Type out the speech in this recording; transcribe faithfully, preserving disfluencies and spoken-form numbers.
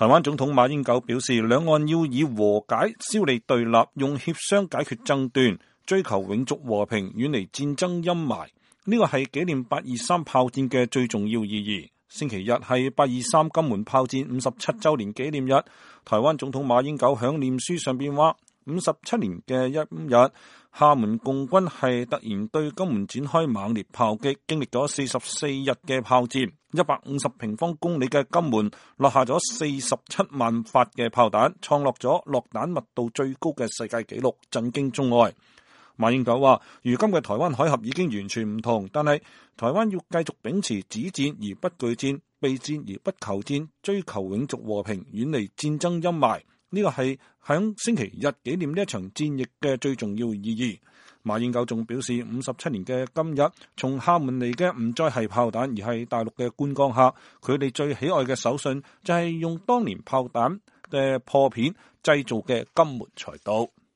台灣總統馬英九表示，兩岸要以和解消弭對立，用協商解決爭端，追求永續和平，遠離戰爭陰霾。呢個係紀念八二三炮戰嘅最重要意義。星期日係八二三金門炮戰五十七週年紀念日。台灣總統馬英九響臉書上邊話：五十七年嘅一日，廈門共軍係突然對金門展開猛烈炮擊，經歷咗四十四日嘅炮戰，一百五十平方公里嘅金門落下咗四十七萬發嘅炮彈，創落咗落彈密度最高嘅世界紀錄，震驚中外。馬英九話：如今嘅台灣海峽已經完全唔同，但係台灣要繼續秉持止戰而不懼戰，備戰而不求戰，追求永續和平，遠離戰爭陰霾。呢個係響星期日紀念呢一場戰役嘅最重要意義。馬英九仲表示，五十七年嘅今日，從廈門嚟嘅唔再係炮彈，而係大陸嘅觀光客。佢哋最喜愛嘅手信就係用當年炮彈嘅破片製造嘅金門菜刀。